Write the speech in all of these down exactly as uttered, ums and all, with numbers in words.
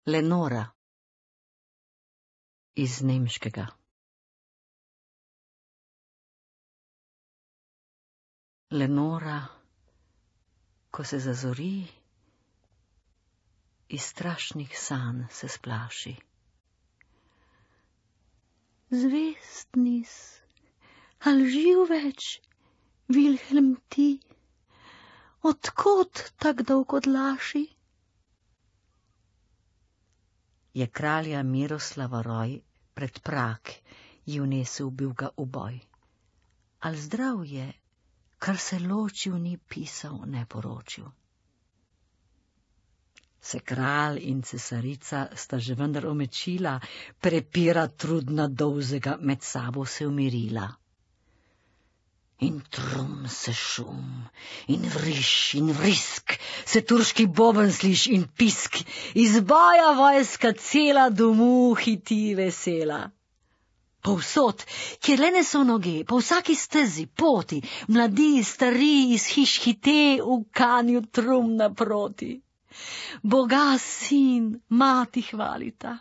Lenora iz nemškega. Lenora, ko se zazori, iz strašnih sanj se splaši. Zvest nis, al živ več, Vilhelm ti, odkot tak dolg odlaši? Je kralja Miroslava roj pred Prag ji vnesel bil ga uboj. Al zdrav je, kar se ločil ni pisal, ne poročil. Se kralj in cesarica sta že vendar omečila, prepira trudna dolzega med sabo se umirila. In trum se šum, in vriš, in vrisk, se turški boben sliš in pisk, iz boja vojska cela domu hiti vesela. Povsod, kjer le ne so noge, po vsaki stezi, poti, mladi, stari iz hiš hite v kanju trum naproti. Boga sin, mati hvalita,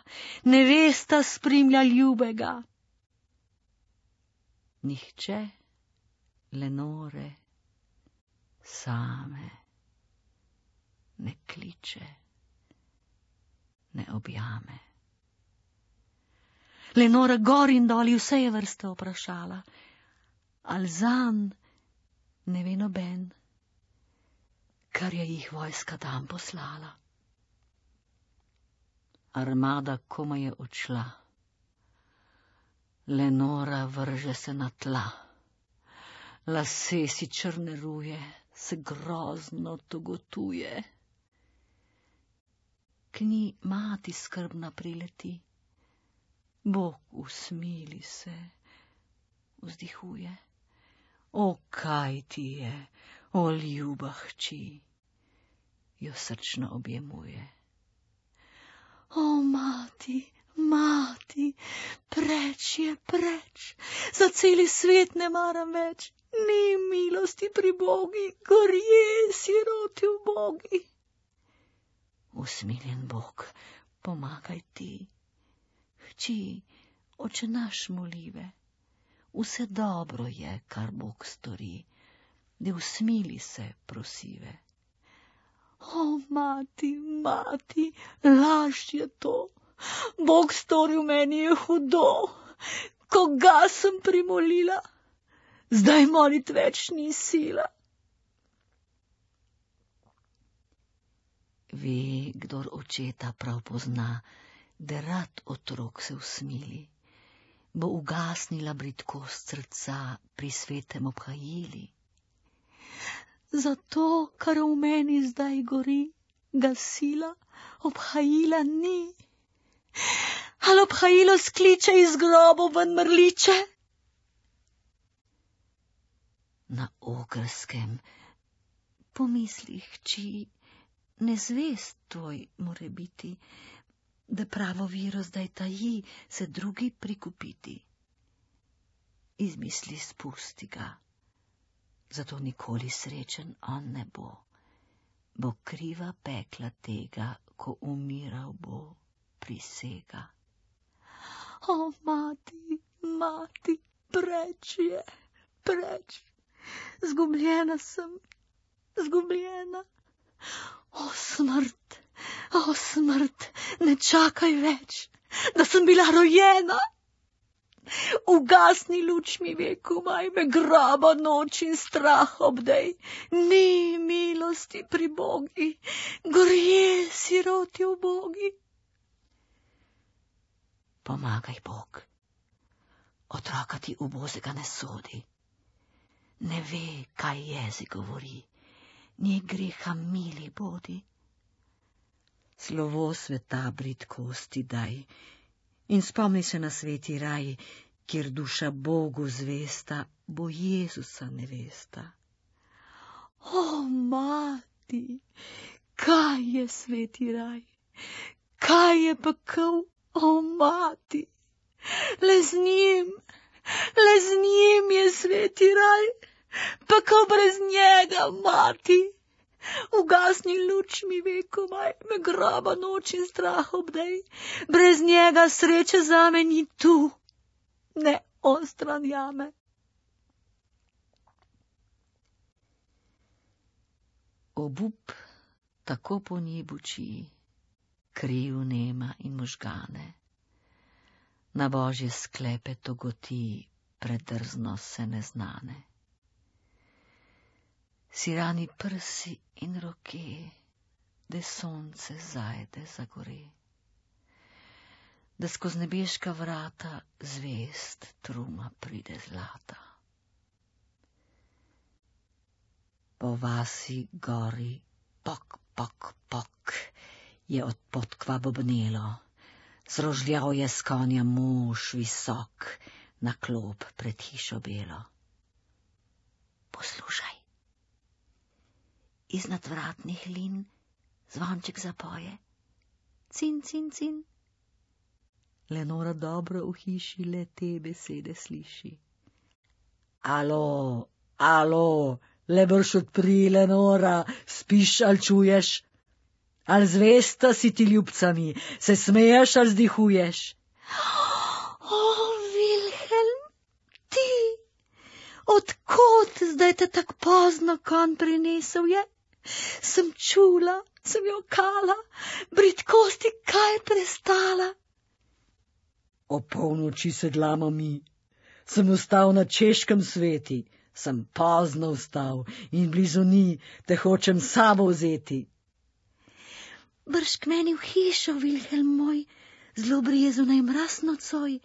nevesta spremlja ljubega. Nihče Lenore same ne kliče, ne objame. Lenora gor in doli vse je vrste vprašala, al zanj ne ve noben, kar je jih vojska tam poslala. Armada komaj je odšla, Lenora vrže se na tla. Lase si črne ruje, se grozno togotuje. K njej mati skrbna prileti, Bog usmili se, vzdihuje. O, kaj ti je, o ljuba hči, jo srčno objemuje. O, mati, mati, preč je, preč, za celi svet ne maram več. Ni milosti pri Bogi, gorje siroti v Bogi. Usmiljen Bog, pomagaj ti. Hči, oče naš molive, vse dobro je, kar Bog stori, da usmili se prosive. O, mati, mati, laž je to, Bog storil meni je hudo, koga sem primolila, zdaj molit več ni sila. Ve, kdor očeta prav pozna, da rad otrok se usmili, bo ugasnila bridkost srca pri svetem obhajili. Zato, kar v meni zdaj gori, ga sila obhajila ni. Al obhajilo skliče iz grobov ven mrliče? Na Ogrskem pomisli hči, nezvest tvoj more biti, da pravo viro zdaj taji se drugi prikupiti. Izmisli spusti ga, zato nikoli srečen on ne bo, bo kriva pekla tega, ko umiral bo, prisega. O, mati, mati, preč je, preč, zgubljena sem, zgubljena. O, smrt, o, smrt, ne čakaj več, da sem bila rojena. Ugasni luč mi ve, komaj me groba noč in strah obdej. Ni milosti pri Bogi, gorje siroti v Bogi. Pomagaj, Bog, otroka ti ubozega ne sodi, ne ve, kaj jezik govori, ni greha mili bodi. Slovo sveta bridkosti daj in spomni se na sveti raj, kjer duša Bogu zvesta, bo Jezusa nevesta. O, mati, kaj je sveti raj, kaj je pekel, o, mati, le z njim, le z njim je sveti raj, pekel brez njega, mati, Ugasni luč mi ve komaj, me groba noč in strah obdej. Brez njega sreče zame ni tu, ne on stran jame. Obup tako po njej buči, kriv nema in možgane. Na božje sklepe togoti, predrzno se neznane. Si rani prsi in roke, da sonce zajde zagore, da skoz nebeška vrata zvest truma pride zlata. Po vasi gori pok, pok, pok je od podkva bobnelo, zrožljal je s konja mož visok na klop pred hišo belo. Poslušaj, iz nadvratnih lin zvonček zapoje, cin, cin, cin. Lenora dobro v hiši le te besede sliši. Alo, alo, le brž odpri, Lenora, spiš ali čuješ? Ali zvesta si ti ljubcami, se smeješ ali zdihuješ? O, Vilhelm, ti, odkot zdaj te tak pozno konj prinesel je? Sem čula, sem jo kala, bridkosti kaj prestala. O polnoči sedlamo mi, sem ustal na češkem sveti, sem pozno vstal in blizu ni, te hočem sabo vzeti. Brž k meni v hišo, Vilhelm moj, zelo brjezu naj mraz nocoj,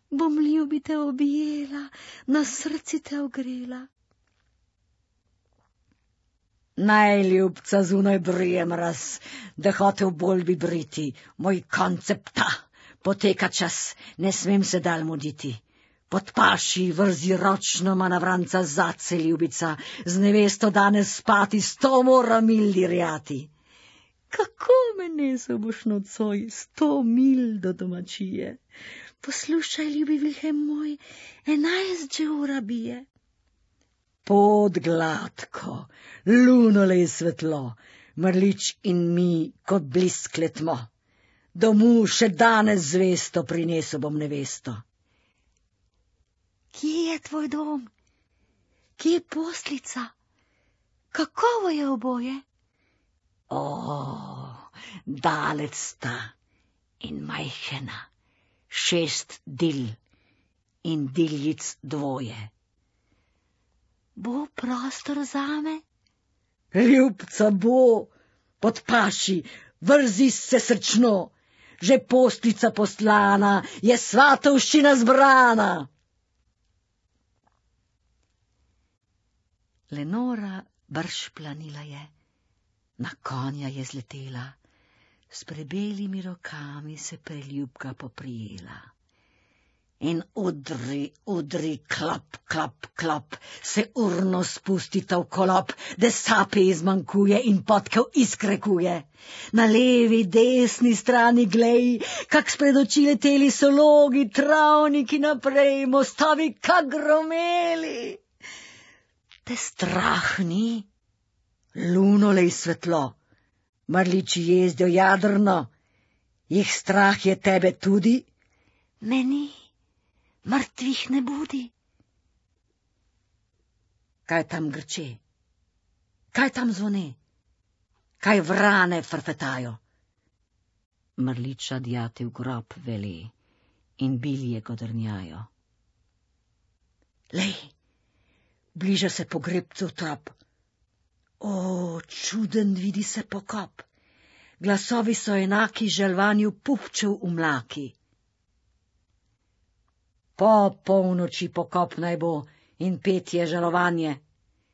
bom ljubi te objela, na srci te ogrela. Najljubca zunaj brije mraz, da hotel bolj bi briti, moj koncepta, poteka čas, ne smem se dal muditi. Pod paši vrzi ročno manavranca zace ljubica, z nevesto danes spati, sto mora mil dirjati. Kako me nesel boš nocoj, sto mil do domačije? Poslušaj, ljubi Vilhelm moj, enajst že ura bije. Pod gladko, lunolej svetlo, mrlič in mi kot bliskle tmo. Domu še danes zvesto prinesel bom nevesto. Kje je tvoj dom? Kje je poslica? Kakovo je oboje? O, dalec sta in majhena, šest dil in diljic dvoje. Bo prostor zame? Ljubca bo, pod paši, vrzi se srčno, že poslica poslana, je svatovščina zbrana. Lenora brž planila je, na konja je zletela, s prebelimi rokami se preljubka poprijela. In udri, udri, klop, klop, klop, se urno spusti ta v kolop, da sape izmanjkuje in potkev izkrekuje. Na levi, desni strani glej, kak spred oči leteli so logi, travniki naprej, mostovi kak gromeli. Te strah ni? Lunolej svetlo, mrliči jezdijo jadrno, jih strah je tebe tudi? Meni mrtvih ne budi. Kaj tam grče? Kaj tam zvone? Kaj vrane frfetajo? Mrliča djati v grob veli in bilje godrnjajo. Lej, bliža se pogrebcev trop. O, čuden vidi se pokop. Glasovi so enaki žalvanju pupčev v mlaki. Po polnoči pokop naj bo in petje žalovanje.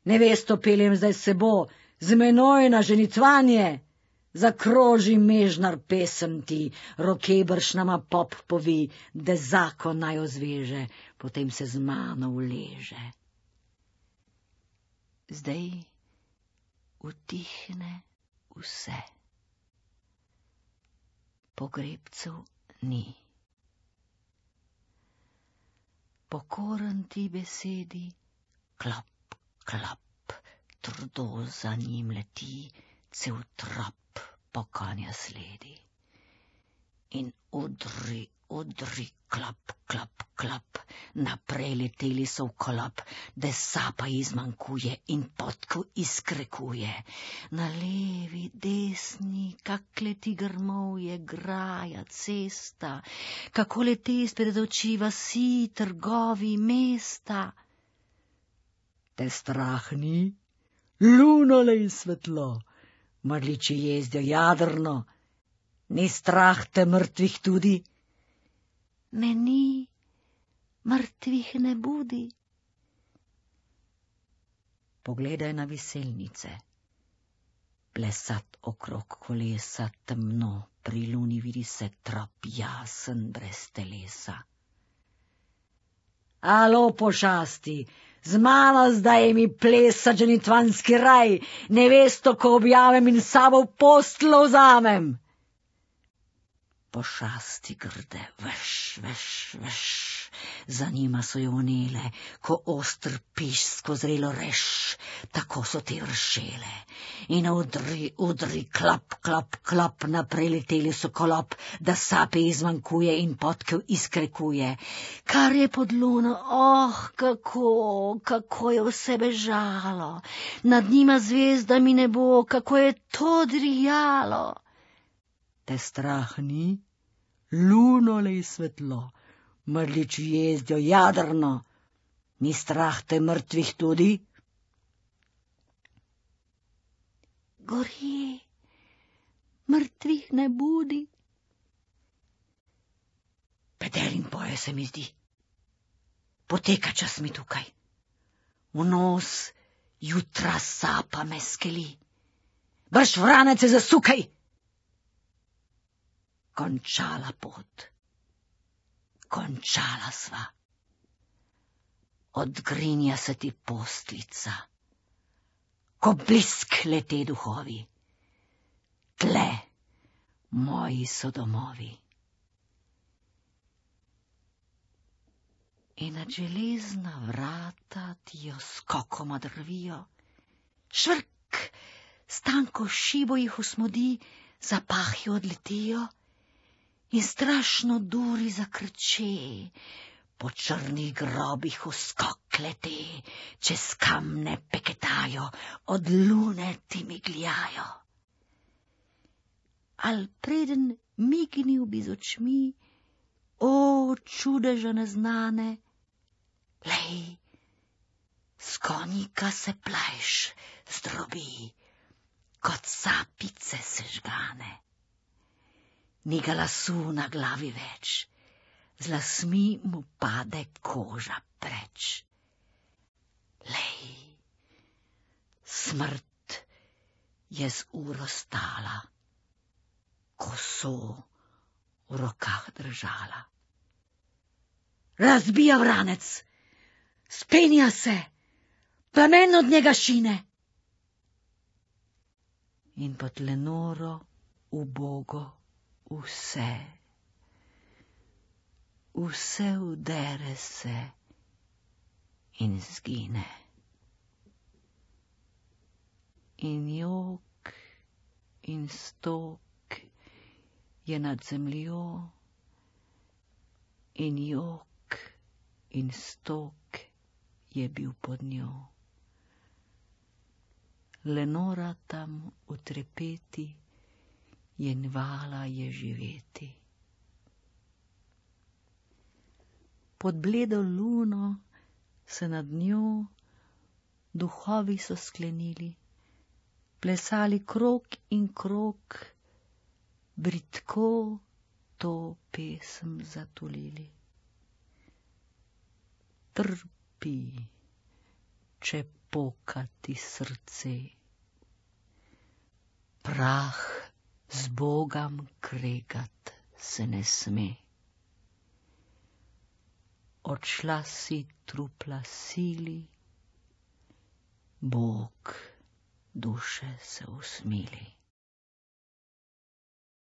Nevesto peljem zdaj s sebo, z menoj na ženicvanje. Zakroži mežnar pesem ti, roke bršnama pop povi, da zakon naj ozveže, potem se z mano uleže. Zdaj utihne vse. Pogrebcev ni. Pokoren ti besedi, klop, klop, trdo za njim leti, cel trop po konja sledi. In udri, udri, klop, klop, klop, naprej leteli so v kolop, da sapa izmanjkuje in potko izkrekuje. Na levi, desni, kak leti grmovje, graja, cesta, kako leti spred oči vasi, trgovi, mesta. Te strah ni? Luno lej svetlo, mrliči jezdijo jadrno, ni strah te mrtvih tudi? Me ni, mrtvih ne budi. Pogledaj na viselnice, plesat okrog kolesa temno, pri luni vidi se trop jasen brez telesa. Alo, pošasti, z mano zdaj mi plesa dženitvanski raj, nevesto, ko objavim in sabo v posteljo vzamem. Pošasti grde, veš, veš, veš, za njima so jo vnele, ko ostr piš skozrelo reš, tako so te vršele. In udri, udri, klop, klop, klop, naprej leteli so kolop, da sape izmanjkuje in potkev izkrekuje. Kar je pod luno, oh, kako, kako je vse bežalo, nad njima zvezdami nebo, kako je to drijalo. Te strah ni? Luno lej svetlo, mrliči jezdijo jadrno, ni strah te mrtvih tudi? Gorje, mrtvih ne budi. Petelin poje se mi zdi, poteka čas mi tukaj, v nos jutra sapa me skeli, brž vranece zasukaj. Končala pot, končala sva, odgrinja se ti postlica, ko blisk lete duhovi, tle moji so domovi. In nad železna vrata ti jo skokoma drvijo, švrk, stanko šibo jih usmodi, zapahi odletijo, in strašno duri zakrče, po črnih grobih v skok lete, čez kamne peketajo, od lune ti migljajo. Al preden mignil bi z očmi, o čudeža neznane, lej, s konjika se plajš zdrobi, kot sapice sežgane. Ni ga lasu na glavi več, z lasmi mu pade koža preč. Lej, smrt je z uro stala, koso v rokah držala. Razbija vranec, spenja se, plamen od njega šine. In pod Lenoro ubogo vse, vse udere se in zgine. In jok in stok je nad zemljo, in jok in stok je bil pod njo. Lenora tam v trepeti, jen vala je živeti. Pod bledo luno se nad njo duhovi so sklenili, plesali krog in krog, bridko to pesem zatulili. Trpi, če poka ti srce, prah z Bogom kregat se ne sme. Odšla si trupla sili, Bog duše se usmili.